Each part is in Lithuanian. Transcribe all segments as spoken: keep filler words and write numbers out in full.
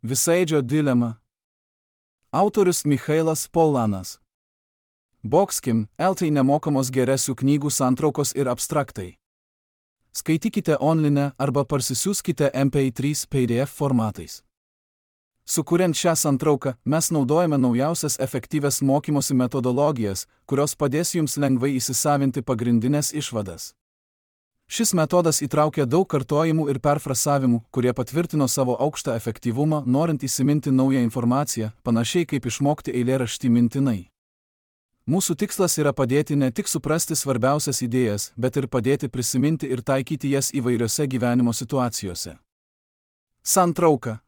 Visaėdžio dilema. Autorius Michailas Polanas. Boxkim, eltai nemokamos geresių knygų santraukos ir abstraktai. Skaitykite online arba parsisiųskite M P trys P D F formatais. Sukuriant šią santrauką, mes naudojame naujausias efektyvias mokymosi metodologijas, kurios padės jums lengvai įsisavinti pagrindinės išvadas. Šis metodas įtraukia daug kartojimų ir perfrasavimų, kurie patvirtino savo aukštą efektyvumą, norint įsiminti naują informaciją, panašiai kaip išmokti eilėraštį mintinai. Mūsų tikslas yra padėti ne tik suprasti svarbiausias idėjas, bet ir padėti prisiminti ir taikyti jas įvairiose gyvenimo situacijose. Santrauka.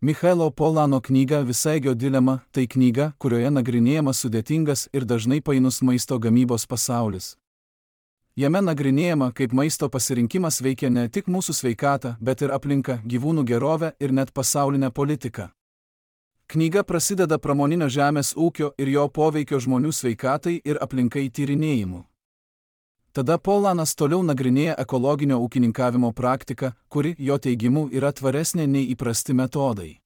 Michailo Polano knyga Visaėdžio dilema – tai knyga, kurioje nagrinėjamas sudėtingas ir dažnai painus maisto gamybos pasaulis. Jame nagrinėjama, kaip maisto pasirinkimas veikia ne tik mūsų sveikatą, bet ir aplinką, gyvūnų gerovę ir net pasaulinę politiką. Knyga prasideda pramoninio žemės ūkio ir jo poveikio žmonių sveikatai ir aplinkai tyrinėjimu. Tada Polanas toliau nagrinėja ekologinio ūkininkavimo praktiką, kuri, jo teigimu, yra tvaresnė nei įprasti metodai.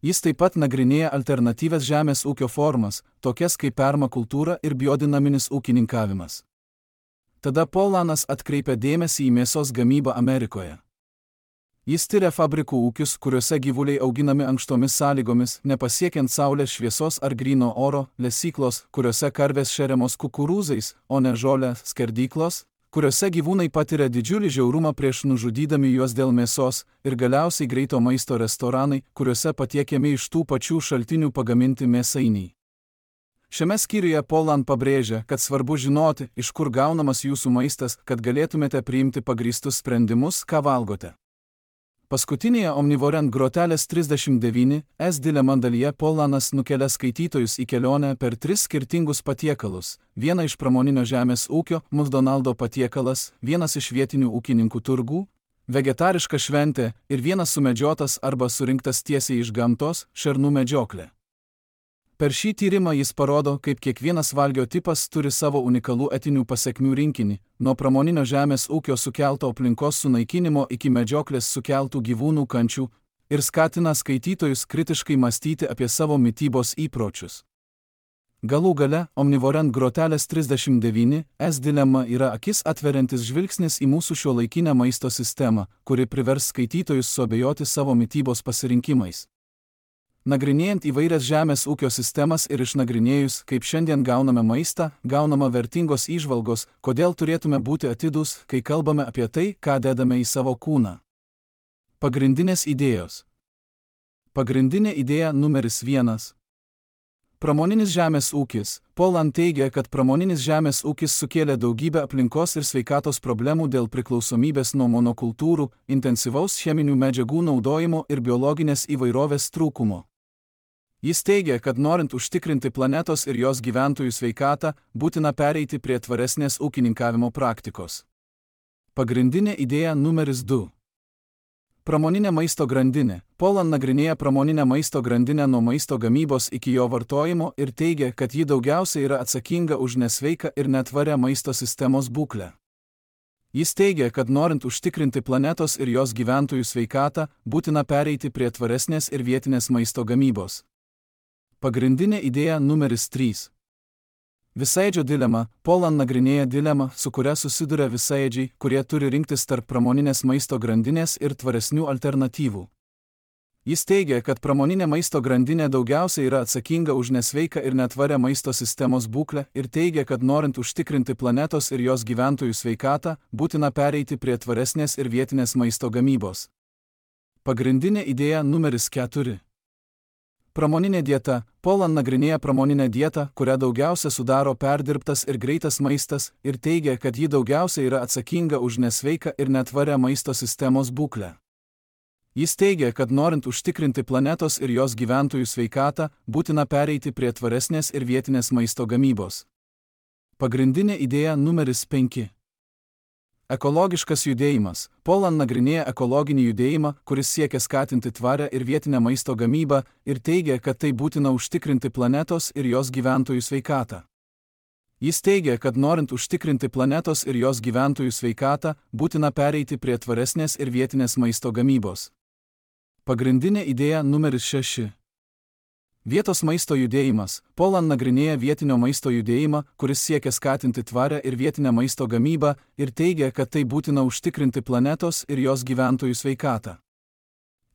Jis taip pat nagrinėja alternatyvias žemės ūkio formas, tokias kaip permakultūra ir biodinaminis ūkininkavimas. Tada Polanas atkreipia dėmesį į mėsos gamybą Amerikoje. Jis tyria fabrikų ūkius, kuriuose gyvuliai auginami ankštomis sąlygomis, nepasiekiant saulės šviesos ar gryno oro, lesyklos, kuriuose karvės šeriamos kukurūzais, o ne žolę, skerdyklos, kuriuose gyvūnai patiria didžiulį žiaurumą prieš nužudydami juos dėl mėsos, ir galiausiai greito maisto restoranai, kuriuose patiekiami iš tų pačių šaltinių pagaminti mėsainiai. Šiame skyriuje Polan pabrėžia, kad svarbu žinoti, iš kur gaunamas jūsų maistas, kad galėtumėte priimti pagrįstus sprendimus, ką valgote. Paskutinėje Omnivorent grotelės trisdešimt devyni S dilema dalyje Polanas nukelia skaitytojus į kelionę per tris skirtingus patiekalus, vieną iš pramoninio žemės ūkio, McDonald's patiekalas, vienas iš vietinių ūkininkų turgų, vegetariška šventė ir vienas sumedžiotas arba surinktas tiesiai iš gamtos, šernų medžioklė. Per šį tyrimą jis parodo, kaip kiekvienas valgio tipas turi savo unikalų etinių pasekmių rinkinį, nuo pramoninio žemės ūkio sukelto aplinkos sunaikinimo iki medžioklės sukeltų gyvūnų kančių, ir skatina skaitytojus kritiškai mąstyti apie savo mitybos įpročius. Galų gale, Omnivorent grotelės trisdešimt devyni S dilema yra akis atveriantis žvilgsnis į mūsų šiuolaikinę maisto sistemą, kuri privers skaitytojus suabejoti savo mitybos pasirinkimais. Nagrinėjant įvairias žemės ūkio sistemas ir išnagrinėjus, kaip šiandien gauname maistą, gaunama vertingos įžvalgos, kodėl turėtume būti atidūs, kai kalbame apie tai, ką dedame į savo kūną. Pagrindinės idėjos. Pagrindinė idėja numeris vienas. Pramoninis žemės ūkis. Polan teigia, kad pramoninis žemės ūkis sukėlė daugybę aplinkos ir sveikatos problemų dėl priklausomybės nuo monokultūrų, intensyvaus cheminių medžiagų naudojimo ir biologinės įvairovės trūkumo. Jis teigia, kad norint užtikrinti planetos ir jos gyventojų sveikatą, būtina pereiti prie tvaresnės ūkininkavimo praktikos. Pagrindinė idėja numeris du. Pramoninė maisto grandinė. Polan nagrinėja pramoninę maisto grandinę nuo maisto gamybos iki jo vartojimo ir teigia, kad ji daugiausiai yra atsakinga už nesveiką ir netvarę maisto sistemos būklę. Jis teigia, kad norint užtikrinti planetos ir jos gyventojų sveikatą, būtina pereiti prie tvaresnės ir vietinės maisto gamybos. Pagrindinė idėja numeris trys. Visaėdžio dilema. Polan nagrinėja dilemą, su kuria susiduria visaėdžiai, kurie turi rinktis tarp pramoninės maisto grandinės ir tvaresnių alternatyvų. Jis teigia, kad pramoninė maisto grandinė daugiausiai yra atsakinga už nesveiką ir netvarę maisto sistemos būklę ir teigia, kad norint užtikrinti planetos ir jos gyventojų sveikatą, būtina pereiti prie tvaresnės ir vietinės maisto gamybos. Pagrindinė idėja numeris keturi. Pramoninė dieta. Polan nagrinėja pramoninę dietą, kurią daugiausia sudaro perdirbtas ir greitas maistas, ir teigia, kad ji daugiausia yra atsakinga už nesveiką ir netvarę maisto sistemos būklę. Jis teigia, kad norint užtikrinti planetos ir jos gyventojų sveikatą, būtina pereiti prie tvaresnės ir vietinės maisto gamybos. Pagrindinė idėja numeris penki. Ekologiškas judėjimas. Polan nagrinėja ekologinį judėjimą, kuris siekia skatinti tvarę ir vietinę maisto gamybą ir teigia, kad tai būtina užtikrinti planetos ir jos gyventojų sveikatą. Jis teigia, kad norint užtikrinti planetos ir jos gyventojų sveikatą, būtina pereiti prie tvaresnės ir vietinės maisto gamybos. Pagrindinė idėja numeris šeši. Vietos maisto judėjimas. Poland nagrinėja vietinio maisto judėjimą, kuris siekia skatinti tvarę ir vietinę maisto gamybą ir teigia, kad tai būtina užtikrinti planetos ir jos gyventojų sveikatą.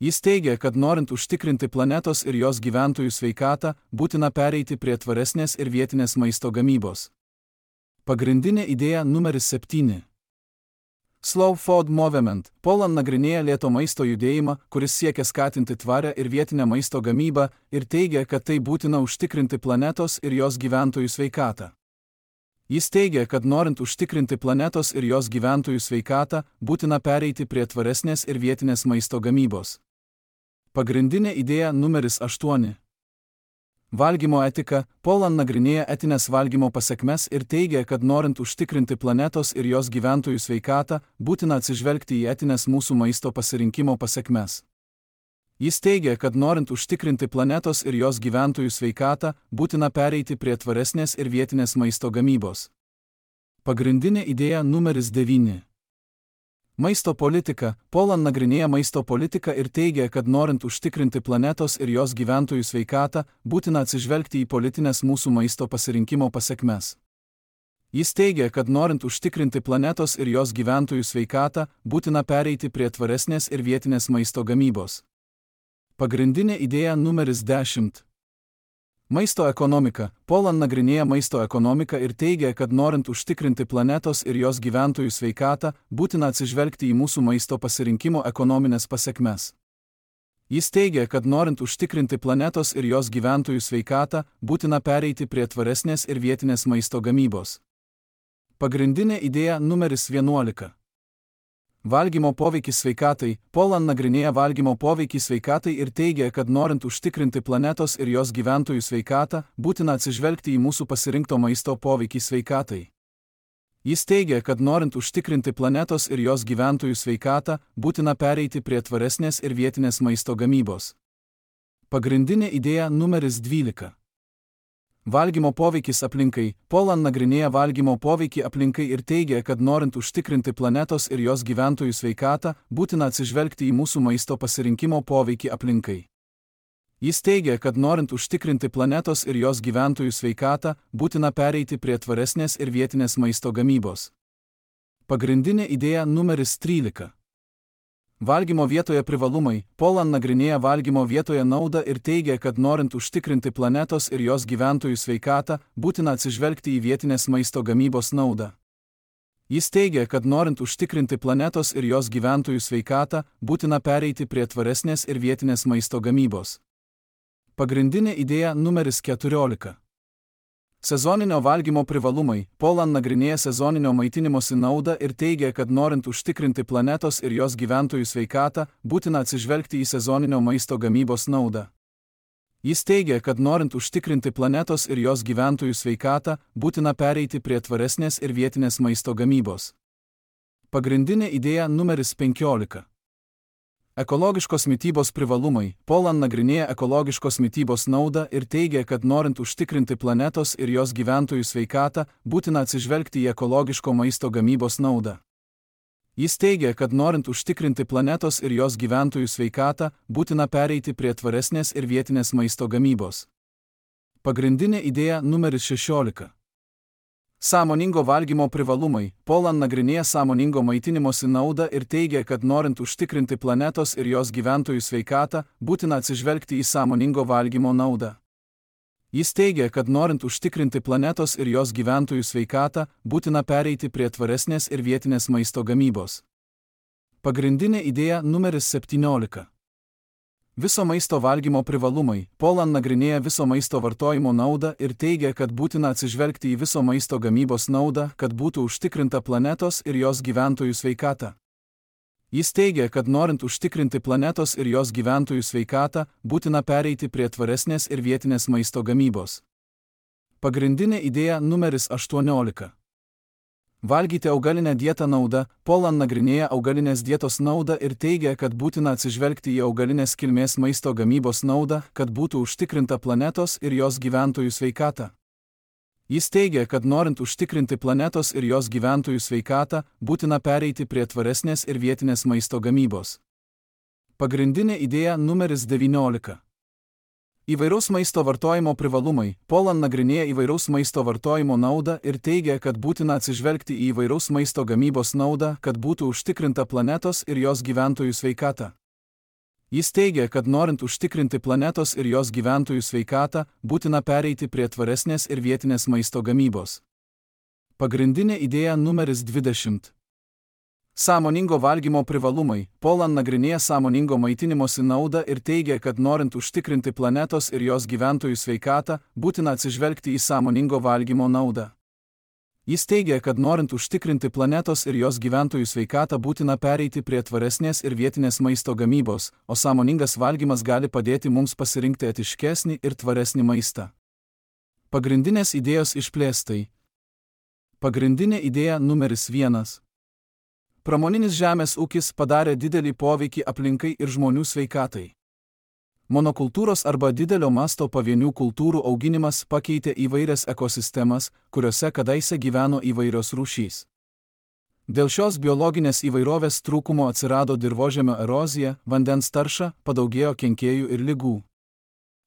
Jis teigia, kad norint užtikrinti planetos ir jos gyventojų sveikatą, būtina pereiti prie tvaresnės ir vietinės maisto gamybos. Pagrindinė idėja numeris septyni. Slow Food Movement. Poland nagrinėja lėto maisto judėjimą, kuris siekia skatinti tvarę ir vietinę maisto gamybą ir teigia, kad tai būtina užtikrinti planetos ir jos gyventojų sveikatą. Jis teigia, kad norint užtikrinti planetos ir jos gyventojų sveikatą, būtina pereiti prie tvaresnės ir vietinės maisto gamybos. Pagrindinė idėja numeris aštuoni. Valgymo etika. Poland nagrinėja etinės valgymo pasekmes ir teigia, kad norint užtikrinti planetos ir jos gyventojų sveikatą, būtina atsižvelgti į etinės mūsų maisto pasirinkimo pasekmes. Jis teigia, kad norint užtikrinti planetos ir jos gyventojų sveikatą, būtina pereiti prie tvaresnės ir vietinės maisto gamybos. Pagrindinė idėja numeris devyni. Maisto politika. Poland nagrinėja maisto politiką ir teigia, kad norint užtikrinti planetos ir jos gyventojų sveikatą, būtina atsižvelgti į politinės mūsų maisto pasirinkimo pasekmes. Jis teigia, kad norint užtikrinti planetos ir jos gyventojų sveikatą, būtina pereiti prie tvaresnės ir vietinės maisto gamybos. Pagrindinė idėja numeris dešimt. Maisto ekonomika. Poland nagrinėja maisto ekonomiką ir teigia, kad norint užtikrinti planetos ir jos gyventojų sveikatą, būtina atsižvelgti į mūsų maisto pasirinkimo ekonominės pasekmes. Jis teigia, kad norint užtikrinti planetos ir jos gyventojų sveikatą, būtina pereiti prie tvaresnės ir vietinės maisto gamybos. Pagrindinė idėja numeris vienuolika. Valgymo poveikis sveikatai. Poland nagrinėja valgymo poveikį sveikatai ir teigia, kad norint užtikrinti planetos ir jos gyventojų sveikatą, būtina atsižvelgti į mūsų pasirinkto maisto poveikį sveikatai. Jis teigia, kad norint užtikrinti planetos ir jos gyventojų sveikatą, būtina pereiti prie tvaresnės ir vietinės maisto gamybos. Pagrindinė idėja numeris dvylika. Valgymo poveikis aplinkai. Poland nagrinėja valgymo poveikį aplinkai ir teigia, kad norint užtikrinti planetos ir jos gyventojų sveikatą, būtina atsižvelgti į mūsų maisto pasirinkimo poveikį aplinkai. Jis teigia, kad norint užtikrinti planetos ir jos gyventojų sveikatą, būtina pereiti prie tvaresnės ir vietinės maisto gamybos. Pagrindinė idėja numeris trylika. Valgymo vietoje privalumai. Poland nagrinėja valgymo vietoje naudą ir teigia, kad norint užtikrinti planetos ir jos gyventojų sveikatą, būtina atsižvelgti į vietinės maisto gamybos naudą. Jis teigia, kad norint užtikrinti planetos ir jos gyventojų sveikatą, būtina pereiti prie tvaresnės ir vietinės maisto gamybos. Pagrindinė idėja numeris keturiolika. Sezoninio valgymo privalumai. Poland nagrinėja sezoninio maitinimosi naudą ir teigia, kad norint užtikrinti planetos ir jos gyventojų sveikatą, būtina atsižvelgti į sezoninio maisto gamybos naudą. Jis teigia, kad norint užtikrinti planetos ir jos gyventojų sveikatą, būtina pereiti prie tvaresnės ir vietinės maisto gamybos. Pagrindinė idėja numeris penkiolika. Ekologiškos mitybos privalumai. Poland nagrinėja ekologiškos mitybos naudą ir teigia, kad norint užtikrinti planetos ir jos gyventojų sveikatą, būtina atsižvelgti į ekologiško maisto gamybos naudą. Jis teigia, kad norint užtikrinti planetos ir jos gyventojų sveikatą, būtina pereiti prie tvaresnės ir vietinės maisto gamybos. Pagrindinė idėja numeris šešiolika. Sąmoningo valgymo privalumai. Poland nagrinėja sąmoningo maitinimosi naudą ir teigia, kad norint užtikrinti planetos ir jos gyventojų sveikatą, būtina atsižvelgti į sąmoningo valgymo naudą. Jis teigia, kad norint užtikrinti planetos ir jos gyventojų sveikatą, būtina pereiti prie tvaresnės ir vietinės maisto gamybos. Pagrindinė idėja numeris septyniolika. Viso maisto valgymo privalumai. Poland nagrinėja viso maisto vartojimo naudą ir teigia, kad būtina atsižvelgti į viso maisto gamybos naudą, kad būtų užtikrinta planetos ir jos gyventojų sveikata. Jis teigia, kad norint užtikrinti planetos ir jos gyventojų sveikatą, būtina pereiti prie tvaresnės ir vietinės maisto gamybos. Pagrindinė idėja numeris aštuoniolika. Valgyti augalinę dietą nauda. Poland nagrinėja augalinės dietos naudą ir teigia, kad būtina atsižvelgti į augalinės kilmės maisto gamybos naudą, kad būtų užtikrinta planetos ir jos gyventojų sveikata. Jis teigia, kad norint užtikrinti planetos ir jos gyventojų sveikatą, būtina pereiti prie tvaresnės ir vietinės maisto gamybos. Pagrindinė idėja numeris devyniolika. Įvairaus maisto vartojimo privalumai. Poland nagrinėja įvairaus maisto vartojimo naudą ir teigia, kad būtina atsižvelgti į įvairaus maisto gamybos naudą, kad būtų užtikrinta planetos ir jos gyventojų sveikata. Jis teigia, kad norint užtikrinti planetos ir jos gyventojų sveikatą, būtina pereiti prie tvaresnės ir vietinės maisto gamybos. Pagrindinė idėja numeris dvidešimt. Sąmoningo valgymo privalumai. Poland nagrinėja sąmoningo maitinimosi naudą ir teigia, kad norint užtikrinti planetos ir jos gyventojų sveikatą, būtina atsižvelgti į sąmoningo valgymo naudą. Jis teigia, kad norint užtikrinti planetos ir jos gyventojų sveikatą, būtina pereiti prie tvaresnės ir vietinės maisto gamybos, o sąmoningas valgymas gali padėti mums pasirinkti etiškesnį ir tvaresnį maistą. Pagrindinės idėjos išplėstai. Pagrindinė idėja numeris vienas. Pramoninis žemės ūkis padarė didelį poveikį aplinkai ir žmonių sveikatai. Monokultūros arba didelio masto pavienių kultūrų auginimas pakeitė įvairias ekosistemas, kuriuose kadaise gyveno įvairios rūšys. Dėl šios biologinės įvairovės trūkumo atsirado dirvožemio erozija, vandens tarša, padaugėjo kenkėjų ir ligų.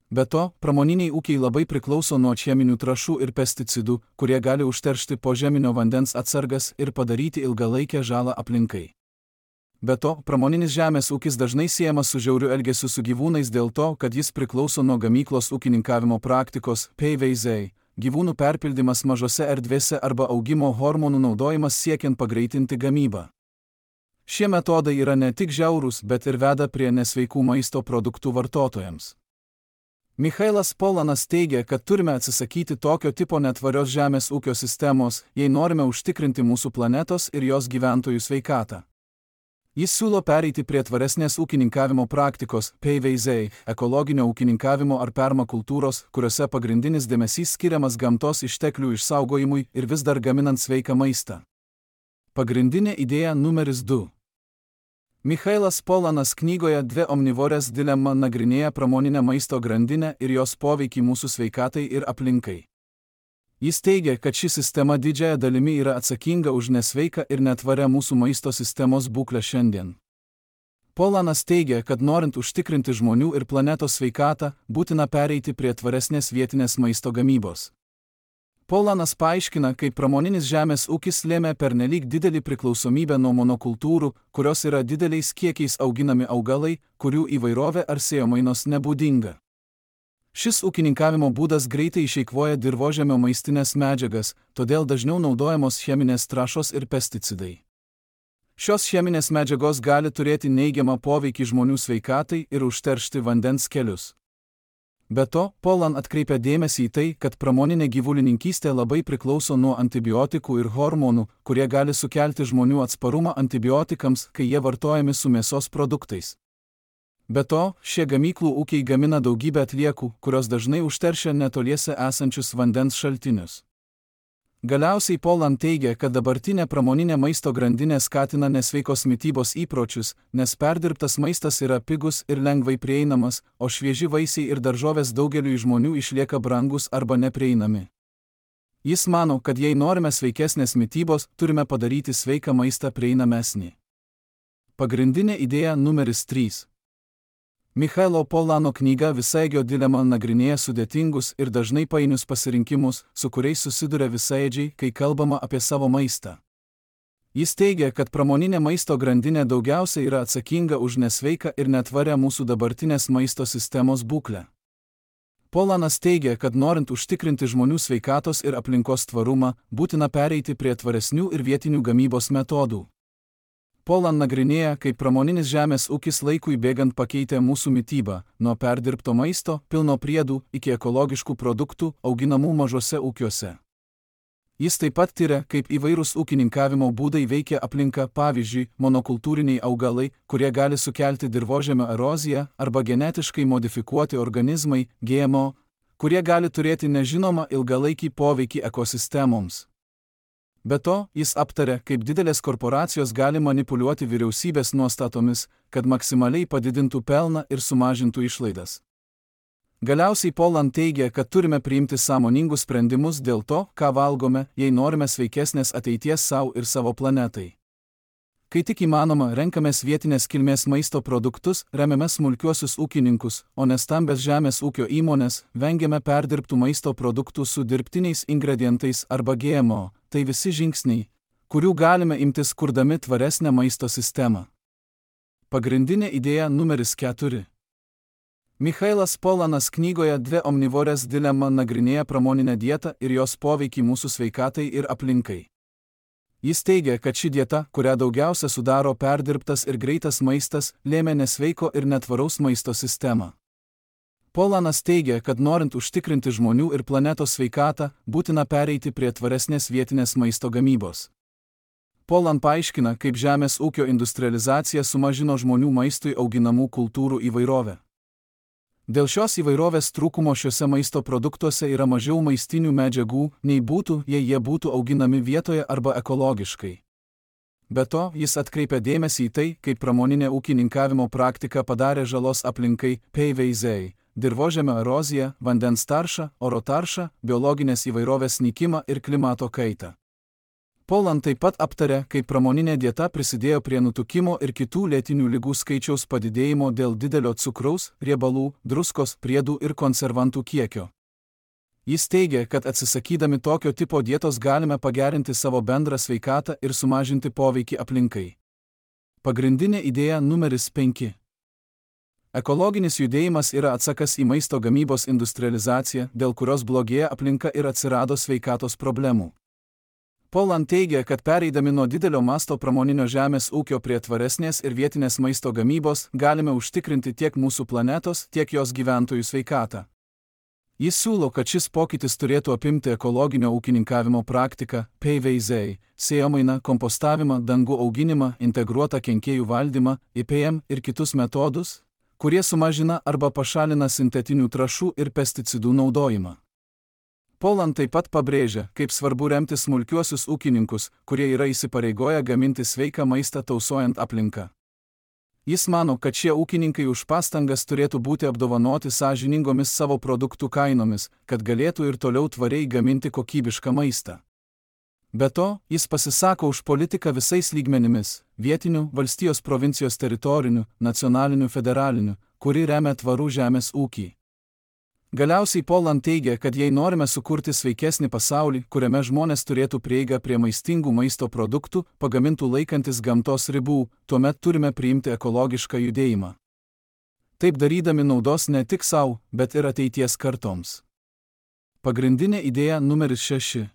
Be to, pramoniniai ūkiai labai priklauso nuo cheminių trąšų ir pesticidų, kurie gali užteršti požeminio vandens atsargas ir padaryti ilgalaikę žalą aplinkai. Be to, pramoninis žemės ūkis dažnai siejamas su žiauriu elgesiu su gyvūnais dėl to, kad jis priklauso nuo gamyklos ūkininkavimo praktikos, P V Z, gyvūnų perpildymas mažose erdvėse arba augimo hormonų naudojimas siekiant pagreitinti gamybą. Šie metodai yra ne tik žiaurūs, bet ir veda prie nesveikų maisto produktų vartotojams. Michailas Polanas teigia, kad turime atsisakyti tokio tipo netvarios žemės ūkio sistemos, jei norime užtikrinti mūsų planetos ir jos gyventojų sveikatą. Jis siūlo pereiti prie tvaresnės ūkininkavimo praktikos, P V Z, ekologinio ūkininkavimo ar permakultūros, kuriuose pagrindinis dėmesys skiriamas gamtos išteklių išsaugojimui ir vis dar gaminant sveiką maistą. Pagrindinė idėja numeris du. Michailas Polanas knygoje Dvi omnivorės dilema nagrinėja pramoninę maisto grandinę ir jos poveikį mūsų sveikatai ir aplinkai. Jis teigia, kad ši sistema didžiąją dalimi yra atsakinga už nesveiką ir netvarę mūsų maisto sistemos būklę šiandien. Polanas teigia, kad norint užtikrinti žmonių ir planetos sveikatą, būtina pereiti prie tvaresnės vietinės maisto gamybos. Polanas paaiškina, kaip pramoninis žemės ūkis lėmė pernelyg didelį priklausomybę nuo monokultūrų, kurios yra dideliais kiekiais auginami augalai, kurių įvairovė ar sėjomainos nebūdinga. Šis ūkininkavimo būdas greitai išeikvoja dirvožemio maistinės medžiagas, todėl dažniau naudojamos cheminės trąšos ir pesticidai. Šios cheminės medžiagos gali turėti neigiamą poveikį žmonių sveikatai ir užteršti vandens kelius. Be to, Polan atkreipia dėmesį į tai, kad pramoninė gyvulininkystė labai priklauso nuo antibiotikų ir hormonų, kurie gali sukelti žmonių atsparumą antibiotikams, kai jie vartojami su mėsos produktais. Be to, šie gamyklų ūkiai gamina daugybę atliekų, kurios dažnai užteršia netoliese esančius vandens šaltinius. Galiausiai Polan teigia, kad dabartinė pramoninė maisto grandinė skatina nesveikos mitybos įpročius, nes perdirbtas maistas yra pigus ir lengvai prieinamas, o švieži vaisiai ir daržovės daugeliui žmonių išlieka brangus arba neprieinami. Jis mano, kad jei norime sveikesnės mitybos, turime padaryti sveiką maistą prieinamesnį. Pagrindinė idėja numeris trys. Michailo Polano knyga Visaėdžio dilema nagrinėja sudėtingus ir dažnai painius pasirinkimus, su kuriais susiduria visaėdžiai, kai kalbama apie savo maistą. Jis teigia, kad pramoninė maisto grandinė daugiausiai yra atsakinga už nesveiką ir netvarę mūsų dabartinės maisto sistemos būklę. Polanas teigia, kad norint užtikrinti žmonių sveikatos ir aplinkos tvarumą, būtina pereiti prie tvaresnių ir vietinių gamybos metodų. Polan nagrinėja, kaip pramoninis žemės ūkis laikui bėgant pakeitė mūsų mitybą, nuo perdirbto maisto, pilno priedų, iki ekologiškų produktų, auginamų mažose ūkiuose. Jis taip pat tiria, kaip įvairūs ūkininkavimo būdai veikia aplinką, pavyzdžiui, monokultūriniai augalai, kurie gali sukelti dirvožemio eroziją, arba genetiškai modifikuoti organizmai, G M O, kurie gali turėti nežinomą ilgalaikį poveikį ekosistemoms. Be to, jis aptarė, kaip didelės korporacijos gali manipuliuoti vyriausybės nuostatomis, kad maksimaliai padidintų pelną ir sumažintų išlaidas. Galiausiai Polan teigia, kad turime priimti sąmoningus sprendimus dėl to, ką valgome, jei norime sveikesnės ateities savo ir savo planetai. Kai tik įmanoma, renkamės vietinės kilmės maisto produktus, remiame smulkiuosius ūkininkus, o ne stambes žemės ūkio įmonės, vengiame perdirbtų maisto produktų su dirbtiniais ingredientais arba G M O. Tai visi žingsniai, kurių galime imtis kurdami tvaresnę maisto sistemą. Pagrindinė idėja numeris keturi. Michailas Polanas knygoje Dvi omnivorės dilema nagrinėja pramoninę dietą ir jos poveikį mūsų sveikatai ir aplinkai. Jis teigia, kad ši dieta, kurią daugiausia sudaro perdirbtas ir greitas maistas, lėmė nesveiko ir netvaraus maisto sistemą. Polanas teigia, kad norint užtikrinti žmonių ir planetos sveikatą, būtina pereiti prie tvaresnės vietinės maisto gamybos. Polan paaiškina, kaip žemės ūkio industrializacija sumažino žmonių maistui auginamų kultūrų įvairovę. Dėl šios įvairovės trūkumo šiuose maisto produktuose yra mažiau maistinių medžiagų, nei būtų, jei jie būtų auginami vietoje arba ekologiškai. Be to, jis atkreipia dėmesį į tai, kaip pramoninė ūkininkavimo praktika padarė žalos aplinkai, P V Z, dirvožemio eroziją, vandens taršą, oro taršą, biologinės įvairovės nykimą ir klimato kaitą. Polan taip pat aptarė, kaip pramoninė dieta prisidėjo prie nutukimo ir kitų lėtinių ligų skaičiaus padidėjimo dėl didelio cukraus, riebalų, druskos, priedų ir konservantų kiekio. Jis teigia, kad atsisakydami tokio tipo dietos galime pagerinti savo bendrą sveikatą ir sumažinti poveikį aplinkai. Pagrindinė idėja numeris penki. Ekologinis judėjimas yra atsakas į maisto gamybos industrializaciją, dėl kurios blogėja aplinka ir atsirado sveikatos problemų. Polan teigia, kad pereidami nuo didelio masto pramoninio žemės ūkio prie tvaresnės ir vietinės maisto gamybos, galime užtikrinti tiek mūsų planetos, tiek jos gyventojų sveikatą. Jis siūlo, kad šis pokytis turėtų apimti ekologinio ūkininkavimo praktiką, P V Z, sėjomainą, kompostavimą, dangų auginimą, integruotą kenkėjų valdymą, I P M ir kitus metodus, kurie sumažina arba pašalina sintetinių trąšų ir pesticidų naudojimą. Polan taip pat pabrėžia, kaip svarbu remti smulkiuosius ūkininkus, kurie yra įsipareigoję gaminti sveiką maistą tausojant aplinką. Jis mano, kad šie ūkininkai už pastangas turėtų būti apdovanoti sąžiningomis savo produktų kainomis, kad galėtų ir toliau tvariai gaminti kokybišką maistą. Be to, jis pasisako už politiką visais lygmenimis – vietinių, valstijos provincijos teritorinių, nacionalinių, federalinių, kuri remia tvarų žemės ūkį. Galiausiai Polan teigia, kad jei norime sukurti sveikesnį pasaulį, kuriame žmonės turėtų prieigą prie maistingų maisto produktų, pagamintų laikantis gamtos ribų, tuomet turime priimti ekologišką judėjimą. Taip darydami naudos ne tik savo, bet ir ateities kartoms. Pagrindinė idėja numeris šeši.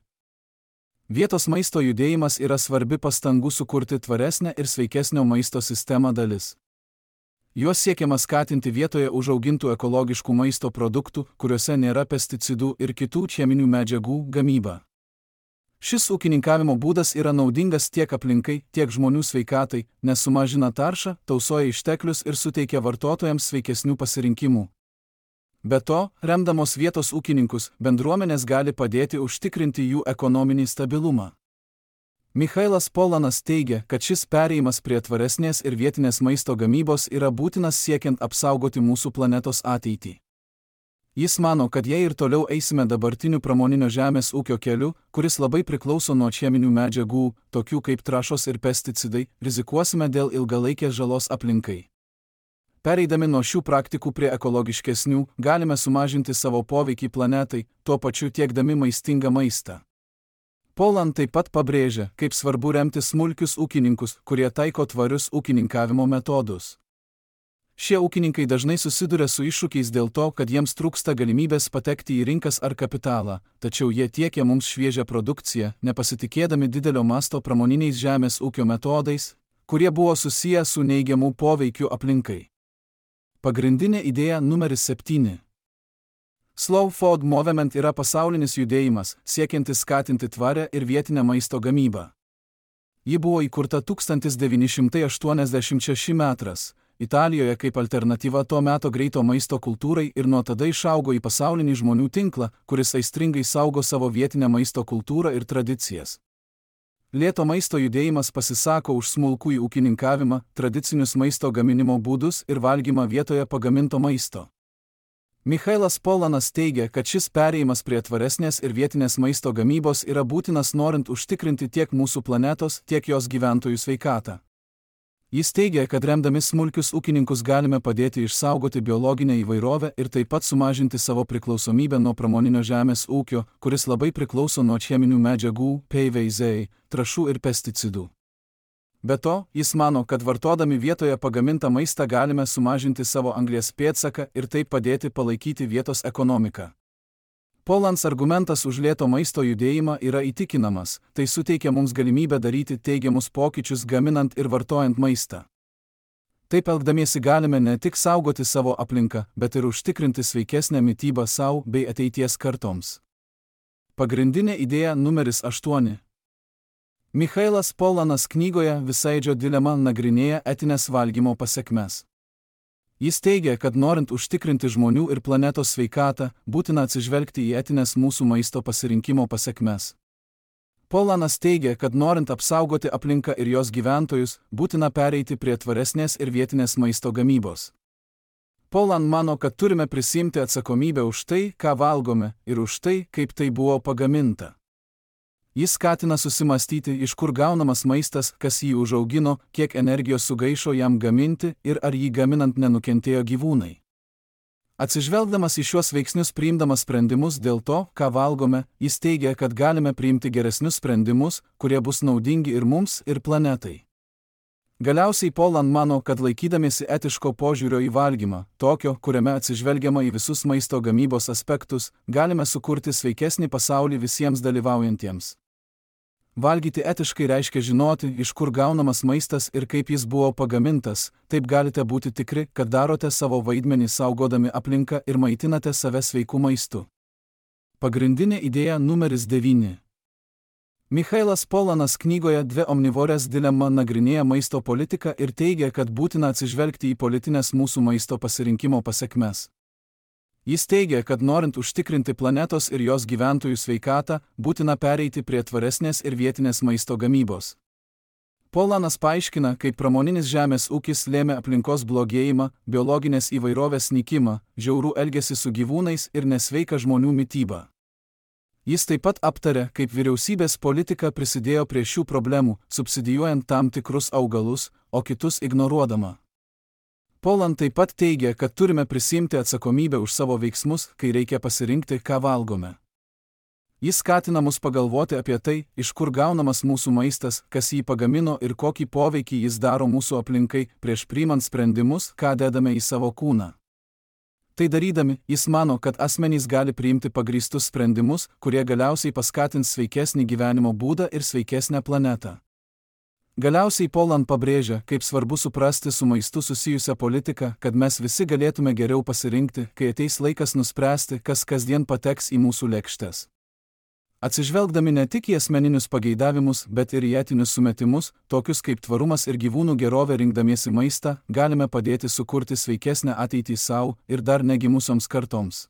Vietos maisto judėjimas yra svarbi pastangų sukurti tvaresnę ir sveikesnio maisto sistemą dalis. Juos siekiama skatinti vietoje užaugintų ekologiškų maisto produktų, kuriuose nėra pesticidų ir kitų cheminių medžiagų gamybą. Šis ūkininkavimo būdas yra naudingas tiek aplinkai, tiek žmonių sveikatai, nes sumažina taršą, tausoja išteklius ir suteikia vartotojams sveikesnių pasirinkimų. Be to, remdamos vietos ūkininkus, bendruomenės gali padėti užtikrinti jų ekonominį stabilumą. Michailas Polanas teigia, kad šis perėjimas prie tvaresnės ir vietinės maisto gamybos yra būtinas siekiant apsaugoti mūsų planetos ateitį. Jis mano, kad jei ir toliau eisime dabartiniu pramoninio žemės ūkio keliu, kuris labai priklauso nuo cheminių medžiagų, tokių kaip trąšos ir pesticidai, rizikuosime dėl ilgalaikės žalos aplinkai. Pereidami nuo šių praktikų prie ekologiškesnių, galime sumažinti savo poveikį planetai, tuo pačiu tiekdami maistingą maistą. Polan taip pat pabrėžia, kaip svarbu remti smulkius ūkininkus, kurie taiko tvarius ūkininkavimo metodus. Šie ūkininkai dažnai susiduria su iššūkiais dėl to, kad jiems trūksta galimybės patekti į rinkas ar kapitalą, tačiau jie tiekia mums šviežią produkciją, nepasitikėdami didelio masto pramoniniais žemės ūkio metodais, kurie buvo susiję su neigiamu poveikiu aplinkai. Pagrindinė idėja numeris septyni. Slow Food Movement yra pasaulinis judėjimas, siekiantis skatinti tvarę ir vietinę maisto gamybą. Ji buvo įkurta tūkstantis devyni šimtai aštuoniasdešimt šeštais metais, Italijoje kaip alternatyva to meto greito maisto kultūrai ir nuo tada išaugo į pasaulinį žmonių tinklą, kuris aistringai saugo savo vietinę maisto kultūrą ir tradicijas. Lėto maisto judėjimas pasisako už smulkųjį ūkininkavimą, tradicinius maisto gaminimo būdus ir valgymą vietoje pagaminto maisto. Michailas Polanas teigia, kad šis perėjimas prie tvaresnės ir vietinės maisto gamybos yra būtinas norint užtikrinti tiek mūsų planetos, tiek jos gyventojų sveikatą. Jis teigia, kad remdami smulkius ūkininkus galime padėti išsaugoti biologinę įvairovę ir taip pat sumažinti savo priklausomybę nuo pramoninio žemės ūkio, kuris labai priklauso nuo cheminių medžiagų, P V C, trąšų ir pesticidų. Be to, jis mano, kad vartodami vietoje pagamintą maistą galime sumažinti savo anglies pėdsaką ir taip padėti palaikyti vietos ekonomiką. Polans argumentas už lėto maisto judėjimą yra įtikinamas, tai suteikia mums galimybę daryti teigiamus pokyčius gaminant ir vartojant maistą. Taip elgdamiesi galime ne tik saugoti savo aplinką, bet ir užtikrinti sveikesnę mitybą savo bei ateities kartoms. Pagrindinė idėja numeris aštuoni. Michailas Polanas knygoje Visaidžio dilema nagrinėja etinės valgymo pasekmes. Jis teigia, kad norint užtikrinti žmonių ir planetos sveikatą, būtina atsižvelgti į etinės mūsų maisto pasirinkimo pasekmes. Polanas teigia, kad norint apsaugoti aplinką ir jos gyventojus, būtina pereiti prie tvaresnės ir vietinės maisto gamybos. Polan mano, kad turime prisiimti atsakomybę už tai, ką valgome, ir už tai, kaip tai buvo pagaminta. Jis skatina susimastyti, iš kur gaunamas maistas, kas jį užaugino, kiek energijos sugaišo jam gaminti ir ar jį gaminant nenukentėjo gyvūnai. Atsižvelgdamas į šiuos veiksnius priimdamas sprendimus dėl to, ką valgome, jis teigia, kad galime priimti geresnius sprendimus, kurie bus naudingi ir mums, ir planetai. Galiausiai Polan mano, kad laikydamiesi etiško požiūrio į valgymą, tokio, kuriame atsižvelgiama į visus maisto gamybos aspektus, galime sukurti sveikesnį pasaulį visiems dalyvaujantiems. Valgyti etiškai reiškia žinoti, iš kur gaunamas maistas ir kaip jis buvo pagamintas, taip galite būti tikri, kad darote savo vaidmenį saugodami aplinką ir maitinate save sveiku maistu. Pagrindinė idėja numeris devyni. Michailas Polanas knygoje Dvi omnivorės dilema nagrinėja maisto politiką ir teigia, kad būtina atsižvelgti į politinės mūsų maisto pasirinkimo pasekmes. Jis teigia, kad norint užtikrinti planetos ir jos gyventojų sveikatą, būtina pereiti prie tvaresnės ir vietinės maisto gamybos. Polanas paaiškina, kaip pramoninis žemės ūkis lėmė aplinkos blogėjimą, biologinės įvairovės nykimą, žiaurų elgesį su gyvūnais ir nesveiką žmonių mitybą. Jis taip pat aptarė, kaip vyriausybės politika prisidėjo prie šių problemų, subsidijuojant tam tikrus augalus, o kitus ignoruodama. Polan taip pat teigia, kad turime prisiimti atsakomybę už savo veiksmus, kai reikia pasirinkti, ką valgome. Jis skatina mus pagalvoti apie tai, iš kur gaunamas mūsų maistas, kas jį pagamino ir kokį poveikį jis daro mūsų aplinkai, prieš priimant sprendimus, ką dedame į savo kūną. Tai darydami, jis mano, kad asmenys gali priimti pagrįstus sprendimus, kurie galiausiai paskatins sveikesnį gyvenimo būdą ir sveikesnę planetą. Galiausiai Polan pabrėžia, kaip svarbu suprasti su maistu susijusią politiką, kad mes visi galėtume geriau pasirinkti, kai ateis laikas nuspręsti, kas kasdien pateks į mūsų lėkštes. Atsižvelgdami ne tik į asmeninius pageidavimus, bet ir į etinius sumetimus, tokius kaip tvarumas ir gyvūnų gerovė rinkdamiesi maistą, galime padėti sukurti sveikesnę ateitį savo ir dar negimusioms kartoms.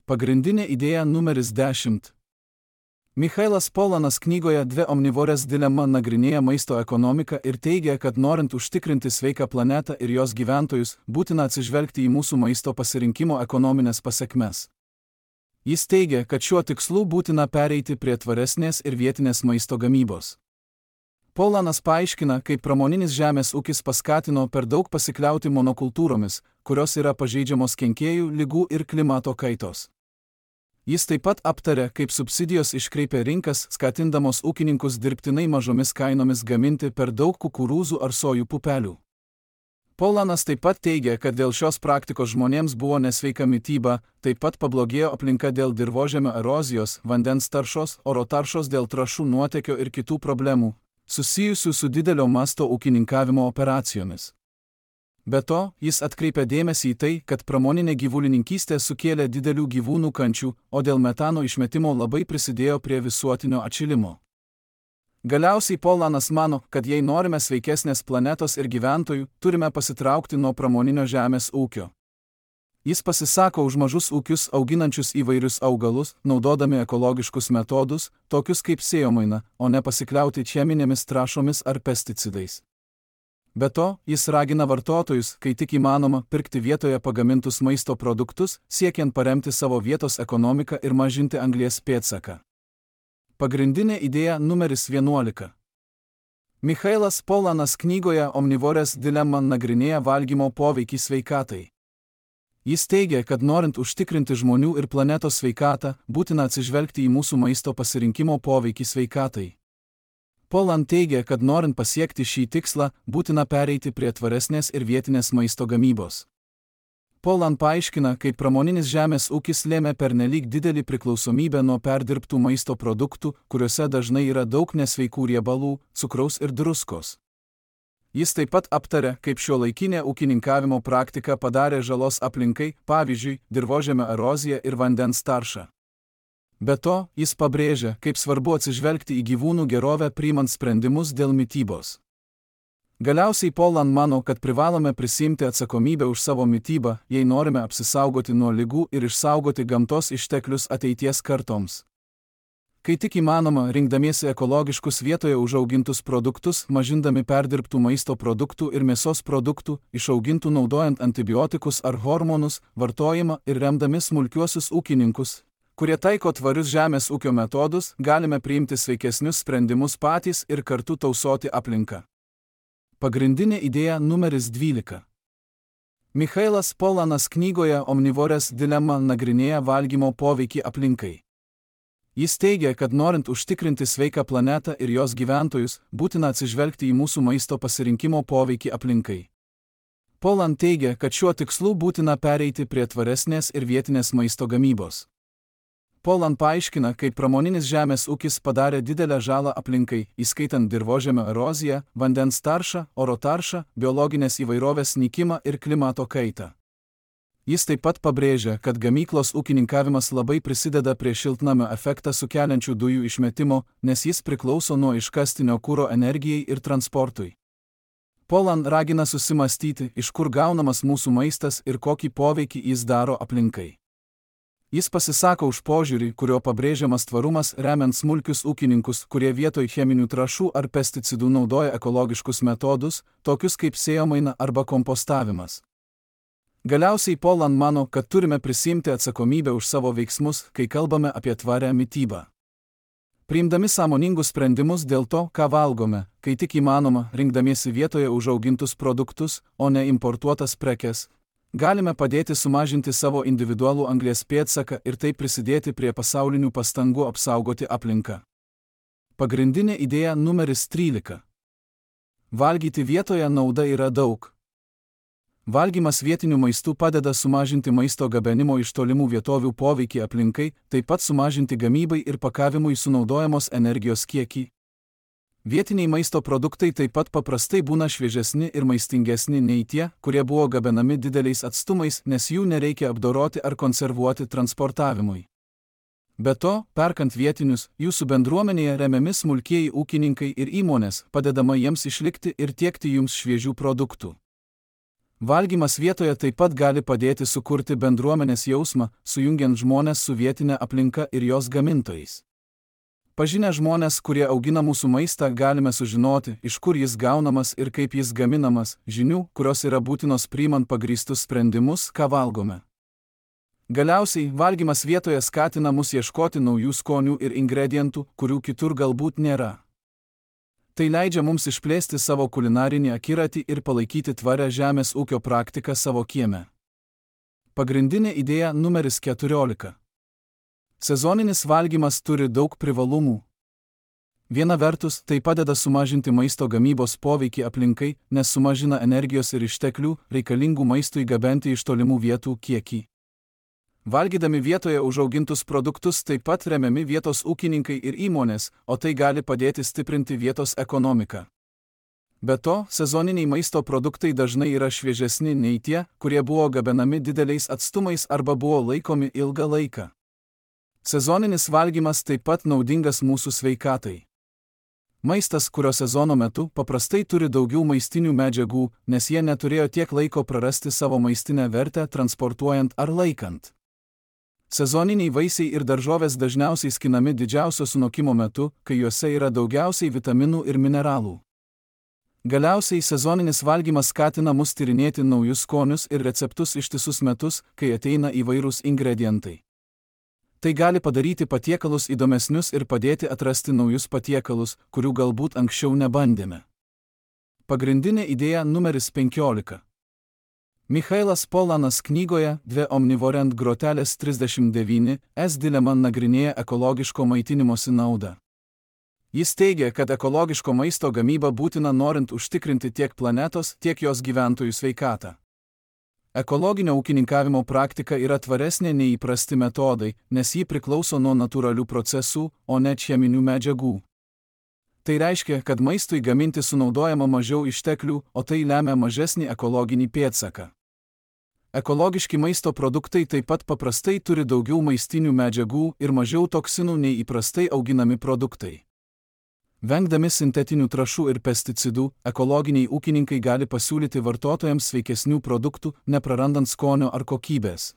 Pagrindinė idėja numeris dešimt. Michailas Polanas knygoje Dvi omnivorės dilema nagrinėja maisto ekonomiką ir teigia, kad norint užtikrinti sveiką planetą ir jos gyventojus, būtina atsižvelgti į mūsų maisto pasirinkimo ekonominės pasekmes. Jis teigia, kad šiuo tikslu būtina pereiti prie tvaresnės ir vietinės maisto gamybos. Polanas paaiškina, kaip pramoninis žemės ūkis paskatino per daug pasikliauti monokultūromis, kurios yra pažeidžiamos kenkėjų, ligų ir klimato kaitos. Jis taip pat aptarė, kaip subsidijos iškreipia rinkas, skatindamos ūkininkus dirbtinai mažomis kainomis gaminti per daug kukurūzų ar sojų pupelių. Polanas taip pat teigia, kad dėl šios praktikos žmonėms buvo nesveika mityba, taip pat pablogėjo aplinka dėl dirvožemio erozijos, vandens taršos, oro taršos dėl trąšų nuotėkio ir kitų problemų, susijusių su didelio masto ūkininkavimo operacijomis. Be to, jis atkreipia dėmesį į tai, kad pramoninė gyvulininkystė sukėlė didelių gyvūnų kančių, o dėl metano išmetimo labai prisidėjo prie visuotinio atšilimo. Galiausiai Polanas mano, kad jei norime sveikesnės planetos ir gyventojų, turime pasitraukti nuo pramoninio žemės ūkio. Jis pasisako už mažus ūkius auginančius įvairius augalus, naudodami ekologiškus metodus, tokius kaip sėjomaina, o ne pasikliauti cheminėmis trąšomis ar pesticidais. Be to, jis ragina vartotojus, kai tik įmanoma, pirkti vietoje pagamintus maisto produktus, siekiant paremti savo vietos ekonomiką ir mažinti anglies pėdsaką. Pagrindinė idėja numeris vienuolika. Michailas Polanas knygoje Omnivorės dilema nagrinėja valgymo poveikį sveikatai. Jis teigia, kad norint užtikrinti žmonių ir planetos sveikatą, būtina atsižvelgti į mūsų maisto pasirinkimo poveikį sveikatai. Polan teigia, kad norint pasiekti šį tikslą, būtina pereiti prie tvaresnės ir vietinės maisto gamybos. Polan paaiškina, kaip pramoninis žemės ūkis lėmė pernelyg didelį priklausomybę nuo perdirbtų maisto produktų, kuriuose dažnai yra daug nesveikų riebalų, cukraus ir druskos. Jis taip pat aptarė, kaip šiuolaikinė ūkininkavimo praktika padarė žalos aplinkai, pavyzdžiui, dirvožemio erozija ir vandens tarša. Be to, jis pabrėžia, kaip svarbu atsižvelgti į gyvūnų gerovę priimant sprendimus dėl mitybos. Galiausiai Polan mano, kad privalome prisiimti atsakomybę už savo mitybą, jei norime apsisaugoti nuo ligų ir išsaugoti gamtos išteklius ateities kartoms. Kai tik įmanoma, rinkdamiesi ekologiškus vietoje užaugintus produktus, mažindami perdirbtų maisto produktų ir mėsos produktų, išaugintų naudojant antibiotikus ar hormonus, vartojimą ir remdami smulkiuosius ūkininkus, kurie taiko tvarius žemės ūkio metodus, galime priimti sveikesnius sprendimus patys ir kartu tausoti aplinką. Pagrindinė idėja numeris dvylika. Michailas Polanas knygoje Omnivorės dilema nagrinėja valgymo poveikį aplinkai. Jis teigia, kad norint užtikrinti sveiką planetą ir jos gyventojus, būtina atsižvelgti į mūsų maisto pasirinkimo poveikį aplinkai. Polan teigia, kad šiuo tikslu būtina pereiti prie tvaresnės ir vietinės maisto gamybos. Polan paaiškina, kaip pramoninis žemės ūkis padarė didelę žalą aplinkai, įskaitant dirvožemio eroziją, vandens taršą, oro taršą, biologinės įvairovės nykimą ir klimato kaitą. Jis taip pat pabrėžia, kad gamyklos ūkininkavimas labai prisideda prie šiltnamio efektą sukeliančių dujų išmetimo, nes jis priklauso nuo iškastinio kuro energijai ir transportui. Polan ragina susimastyti, iš kur gaunamas mūsų maistas ir kokį poveikį jis daro aplinkai. Jis pasisako už požiūrį, kurio pabrėžiamas tvarumas remiant smulkius ūkininkus, kurie vietoj cheminių trąšų ar pesticidų naudoja ekologiškus metodus, tokius kaip sėjomaina arba kompostavimas. Galiausiai Polan mano, kad turime prisiimti atsakomybę už savo veiksmus, kai kalbame apie tvarią mitybą. Priimdami sąmoningus sprendimus dėl to, ką valgome, kai tik įmanoma, rinkdamiesi vietoje užaugintus produktus, o ne importuotas prekes, galime padėti sumažinti savo individualų anglies pėdsaką ir taip prisidėti prie pasaulinių pastangų apsaugoti aplinką. Pagrindinė idėja numeris trylika. Valgyti vietoje nauda yra daug. Valgymas vietiniu maistu padeda sumažinti maisto gabenimo iš tolimų vietovių poveikį aplinkai, taip pat sumažinti gamybai ir pakavimui sunaudojamos energijos kiekį. Vietiniai maisto produktai taip pat paprastai būna šviežesni ir maistingesni nei tie, kurie buvo gabenami dideliais atstumais, nes jų nereikia apdoroti ar konservuoti transportavimui. Be to, perkant vietinius, jūsų bendruomenėje remiami smulkieji ūkininkai ir įmonės, padedama jiems išlikti ir tiekti jums šviežių produktų. Valgymas vietoje taip pat gali padėti sukurti bendruomenės jausmą, sujungiant žmones su vietinė aplinka ir jos gamintojais. Pažinę žmones, kurie augina mūsų maistą, galime sužinoti, iš kur jis gaunamas ir kaip jis gaminamas, žinių, kurios yra būtinos priimant pagrįstus sprendimus, ką valgome. Galiausiai, valgymas vietoje skatina mus ieškoti naujų skonių ir ingredientų, kurių kitur galbūt nėra. Tai leidžia mums išplėsti savo kulinarinį akiratį ir palaikyti tvarę žemės ūkio praktiką savo kieme. Pagrindinė idėja numeris keturiolika. Sezoninis valgymas turi daug privalumų. Viena vertus, tai padeda sumažinti maisto gamybos poveikį aplinkai, nes sumažina energijos ir išteklių, reikalingų maistui gabenti iš tolimų vietų kiekį. Valgydami vietoje užaugintus produktus taip pat remiami vietos ūkininkai ir įmonės, o tai gali padėti stiprinti vietos ekonomiką. Be to, sezoniniai maisto produktai dažnai yra šviežesni nei tie, kurie buvo gabenami dideliais atstumais arba buvo laikomi ilgą laiką. Sezoninis valgymas taip pat naudingas mūsų sveikatai. Maistas, kurio sezono metu, paprastai turi daugiau maistinių medžiagų, nes jie neturėjo tiek laiko prarasti savo maistinę vertę transportuojant ar laikant. Sezoniniai vaisiai ir daržovės dažniausiai skinami didžiausio sunokimo metu, kai juose yra daugiausiai vitaminų ir mineralų. Galiausiai sezoninis valgymas skatina mus tyrinėti naujus skonius ir receptus ištisus metus, kai ateina įvairūs ingredientai. Tai gali padaryti patiekalus įdomesnius ir padėti atrasti naujus patiekalus, kurių galbūt anksčiau nebandėme. Pagrindinė idėja numeris penkiolika. Michailas Polanas knygoje Dve omnivorent grotelės trisdešimt devyni S dilema nagrinėja ekologiško maitinimosi naudą. Jis teigia, kad ekologiško maisto gamyba būtina norint užtikrinti tiek planetos, tiek jos gyventojų sveikatą. Ekologinio ūkininkavimo praktika yra tvaresnė nei įprasti metodai, nes ji priklauso nuo natūralių procesų, o ne cheminių medžiagų. Tai reiškia, kad maistui gaminti sunaudojama mažiau išteklių, o tai lemia mažesnį ekologinį pėdsaką. Ekologiški maisto produktai taip pat paprastai turi daugiau maistinių medžiagų ir mažiau toksinų nei įprastai auginami produktai. Vengdami sintetinių trąšų ir pesticidų, ekologiniai ūkininkai gali pasiūlyti vartotojams sveikesnių produktų, neprarandant skonio ar kokybės.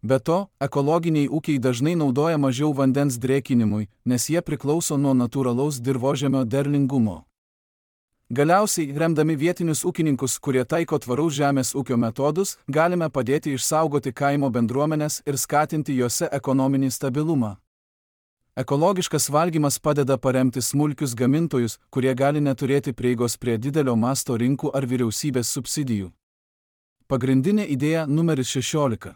Be to, ekologiniai ūkiai dažnai naudoja mažiau vandens drėkinimui, nes jie priklauso nuo natūralaus dirvožemio derlingumo. Galiausiai, remdami vietinius ūkininkus, kurie taiko tvaraus žemės ūkio metodus, galime padėti išsaugoti kaimo bendruomenes ir skatinti jose ekonominį stabilumą. Ekologiškas valgymas padeda paremti smulkius gamintojus, kurie gali neturėti prieigos prie didelio masto rinkų ar vyriausybės subsidijų. Pagrindinė idėja numeris šešiolika.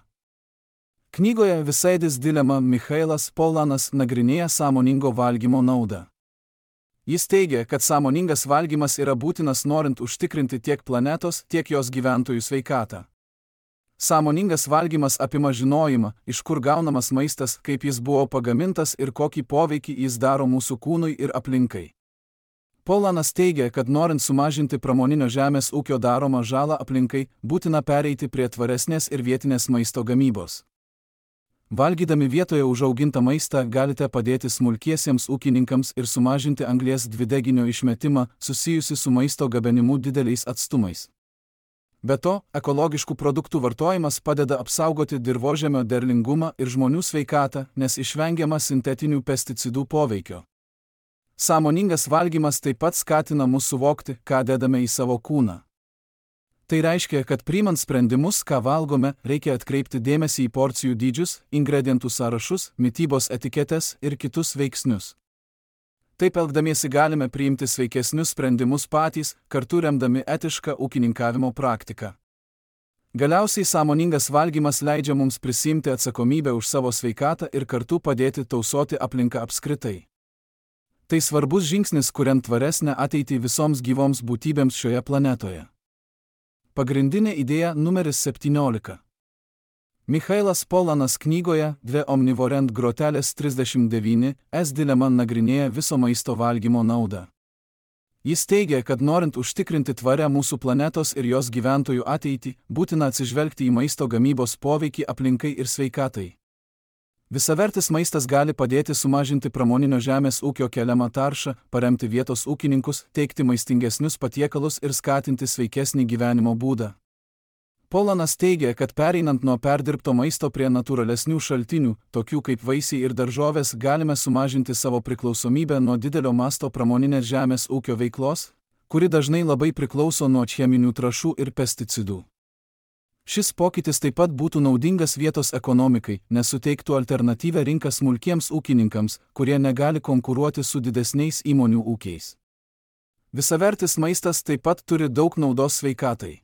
Knygoje Visaidis dilema Michailas Polanas nagrinėja sąmoningo valgymo naudą. Jis teigia, kad sąmoningas valgymas yra būtinas norint užtikrinti tiek planetos, tiek jos gyventojų sveikatą. Sąmoningas valgymas apima žinojimą, iš kur gaunamas maistas, kaip jis buvo pagamintas ir kokį poveikį jis daro mūsų kūnui ir aplinkai. Polanas teigia, kad norint sumažinti pramoninio žemės ūkio daromą žalą aplinkai, būtina pereiti prie tvaresnės ir vietinės maisto gamybos. Valgydami vietoje užaugintą maistą galite padėti smulkiesiems ūkininkams ir sumažinti anglies dvideginio išmetimą susijusi su maisto gabenimu dideliais atstumais. Be to, ekologiškų produktų vartojimas padeda apsaugoti dirvožemio derlingumą ir žmonių sveikatą, nes išvengiama sintetinių pesticidų poveikio. Sąmoningas valgymas taip pat skatina mus suvokti, ką dedame į savo kūną. Tai reiškia, kad priimant sprendimus, ką valgome, reikia atkreipti dėmesį į porcijų dydžius, ingredientų sąrašus, mitybos etiketes ir kitus veiksnius. Taip elgdamiesi galime priimti sveikesnius sprendimus patys, kartu remdami etišką ūkininkavimo praktiką. Galiausiai sąmoningas valgymas leidžia mums prisiimti atsakomybę už savo sveikatą ir kartu padėti tausoti aplinką apskritai. Tai svarbus žingsnis, kuriant tvaresnę ateitį visoms gyvoms būtybėms šioje planetoje. Pagrindinė idėja numeris septyniolika. Michailas Polanas knygoje Dve omnivorent grotelės trisdešimt devyni S dilema nagrinėja viso maisto valgymo naudą. Jis teigia, kad norint užtikrinti tvarę mūsų planetos ir jos gyventojų ateitį, būtina atsižvelgti į maisto gamybos poveikį aplinkai ir sveikatai. Visavertis maistas gali padėti sumažinti pramoninio žemės ūkio keliamą taršą, paremti vietos ūkininkus, teikti maistingesnius patiekalus ir skatinti sveikesnį gyvenimo būdą. Polanas teigia, kad pereinant nuo perdirbto maisto prie natūralesnių šaltinių, tokių kaip vaisiai ir daržovės, galime sumažinti savo priklausomybę nuo didelio masto pramoninės žemės ūkio veiklos, kuri dažnai labai priklauso nuo cheminių trąšų ir pesticidų. Šis pokytis taip pat būtų naudingas vietos ekonomikai, nes suteiktų alternatyvią rinką smulkiems ūkininkams, kurie negali konkuruoti su didesniais įmonių ūkiais. Visavertis maistas taip pat turi daug naudos sveikatai.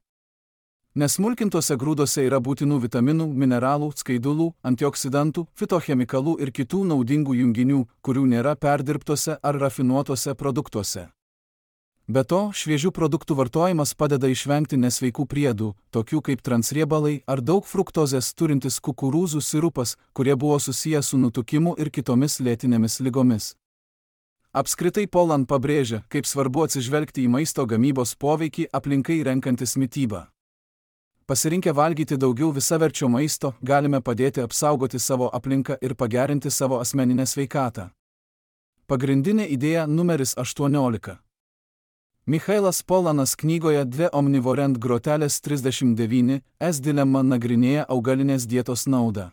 Nesmulkintuose grūduose yra būtinų vitaminų, mineralų, skaidulų, antioksidantų, fitochemikalų ir kitų naudingų junginių, kurių nėra perdirbtuose ar rafinuotuose produktuose. Be to, šviežių produktų vartojimas padeda išvengti nesveikų priedų, tokių kaip transriebalai ar daug fruktozės turintis kukurūzų sirupas, kurie buvo susiję su nutukimu ir kitomis lėtinėmis ligomis. Apskritai Polan pabrėžia, kaip svarbu atsižvelgti į maisto gamybos poveikį aplinkai renkantis mitybą. Pasirinkę valgyti daugiau visaverčio maisto, galime padėti apsaugoti savo aplinką ir pagerinti savo asmeninę sveikatą. Pagrindinė idėja numeris aštuoniolika. Michailas Polanas knygoje Dve omnivorent grotelės trisdešimt devyni S dilema nagrinėja augalinės dietos naudą.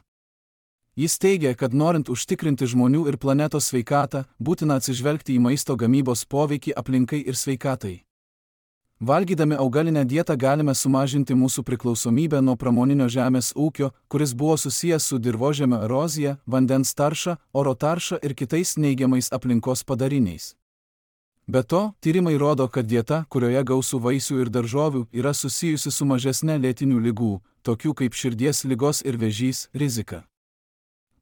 Jis teigia, kad norint užtikrinti žmonių ir planetos sveikatą, būtina atsižvelgti į maisto gamybos poveikį aplinkai ir sveikatai. Valgydami augalinę dietą galime sumažinti mūsų priklausomybę nuo pramoninio žemės ūkio, kuris buvo susijęs su dirvožemio erozija, vandens tarša, oro tarša ir kitais neigiamais aplinkos padariniais. Be to, tyrimai rodo, kad dieta, kurioje gausu vaisių ir daržovių, yra susijusi su mažesne lėtinių ligų, tokių kaip širdies ligos ir vėžys, rizika.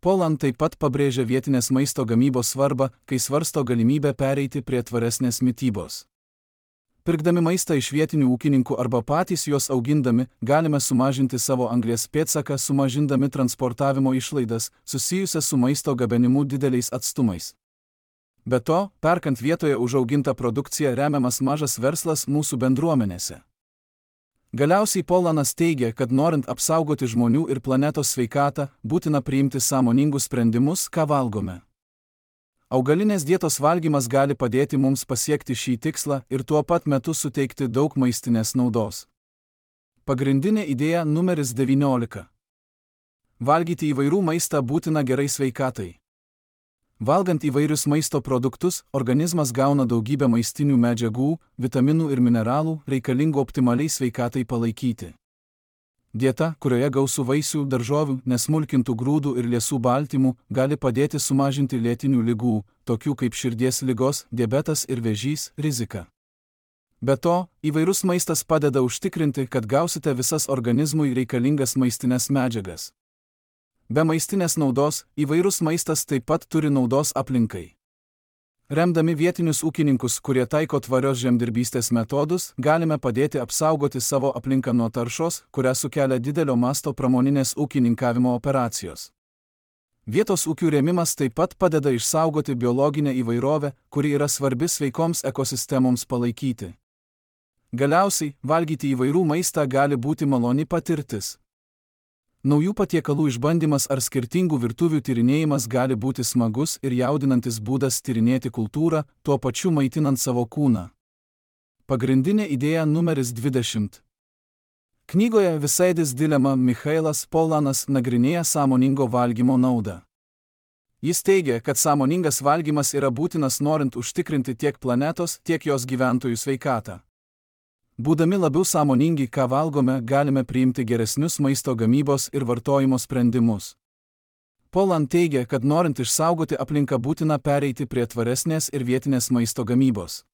Poland taip pat pabrėžia vietinės maisto gamybos svarbą, kai svarsto galimybę pereiti prie tvaresnės mitybos. Pirkdami maistą iš vietinių ūkininkų arba patys juos augindami, galime sumažinti savo anglies pėdsaką, sumažindami transportavimo išlaidas, susijusias su maisto gabenimu dideliais atstumais. Be to, perkant vietoje užaugintą produkciją remiamas mažas verslas mūsų bendruomenėse. Galiausiai Polanas teigia, kad norint apsaugoti žmonių ir planetos sveikatą, būtina priimti sąmoningus sprendimus, ką valgome. Augalinės dietos valgymas gali padėti mums pasiekti šį tikslą ir tuo pat metu suteikti daug maistinės naudos. Pagrindinė idėja numeris devyniolika. Valgyti įvairių maistą būtina gerai sveikatai. Valgant įvairius maisto produktus, organizmas gauna daugybę maistinių medžiagų, vitaminų ir mineralų, reikalingų optimaliai sveikatai palaikyti. Dieta, kurioje gausu vaisių, daržovių, nesmulkintų grūdų ir liesų baltymų, gali padėti sumažinti lėtinių ligų, tokių kaip širdies ligos, diabetas ir vėžys, riziką. Be to, įvairus maistas padeda užtikrinti, kad gausite visas organizmui reikalingas maistinės medžiagas. Be maistinės naudos, įvairus maistas taip pat turi naudos aplinkai. Remdami vietinius ūkininkus, kurie taiko tvarios žemdirbystės metodus, galime padėti apsaugoti savo aplinką nuo taršos, kurią sukelia didelio masto pramoninės ūkininkavimo operacijos. Vietos ūkių rėmimas taip pat padeda išsaugoti biologinę įvairovę, kuri yra svarbi sveikoms ekosistemoms palaikyti. Galiausiai, valgyti įvairių maistą gali būti maloni patirtis. Naujų patiekalų išbandymas ar skirtingų virtuvių tyrinėjimas gali būti smagus ir jaudinantis būdas tyrinėti kultūrą, tuo pačiu maitinant savo kūną. Pagrindinė idėja numeris dvidešimt. Knygoje Visaidis dilema Michailas Polanas nagrinėja sąmoningo valgymo naudą. Jis teigia, kad sąmoningas valgymas yra būtinas norint užtikrinti tiek planetos, tiek jos gyventojų sveikatą. Būdami labiau sąmoningi, ką valgome, galime priimti geresnius maisto gamybos ir vartojimo sprendimus. Poland teigia, kad norint išsaugoti aplinką būtina pereiti prie tvaresnės ir vietinės maisto gamybos.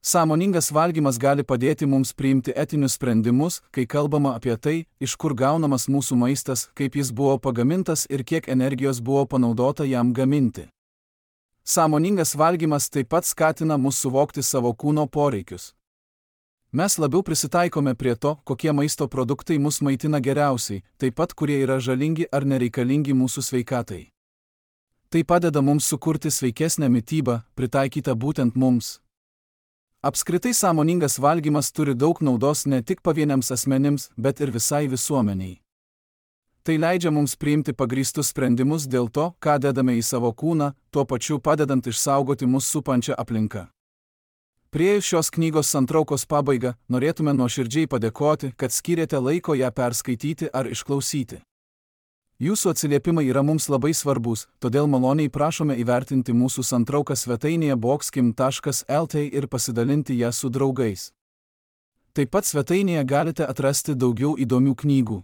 Sąmoningas valgymas gali padėti mums priimti etinius sprendimus, kai kalbama apie tai, iš kur gaunamas mūsų maistas, kaip jis buvo pagamintas ir kiek energijos buvo panaudota jam gaminti. Sąmoningas valgymas taip pat skatina mus suvokti savo kūno poreikius. Mes labiau prisitaikome prie to, kokie maisto produktai mus maitina geriausiai, taip pat kurie yra žalingi ar nereikalingi mūsų sveikatai. Tai padeda mums sukurti sveikesnę mitybą, pritaikytą būtent mums. Apskritai sąmoningas valgymas turi daug naudos ne tik pavieniams asmenims, bet ir visai visuomeniai. Tai leidžia mums priimti pagrįstus sprendimus dėl to, ką dedame į savo kūną, tuo pačiu padedant išsaugoti mus supančią aplinką. Priėjus šios knygos santraukos pabaigą, norėtume nuoširdžiai padėkoti, kad skyrėte laiko ją perskaityti ar išklausyti. Jūsų atsiliepimai yra mums labai svarbus, todėl maloniai prašome įvertinti mūsų santrauką svetainėje boxkim taškas lt ir pasidalinti ją su draugais. Taip pat svetainėje galite atrasti daugiau įdomių knygų.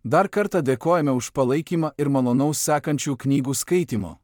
Dar kartą dėkojame už palaikymą ir malonaus sekančių knygų skaitimo.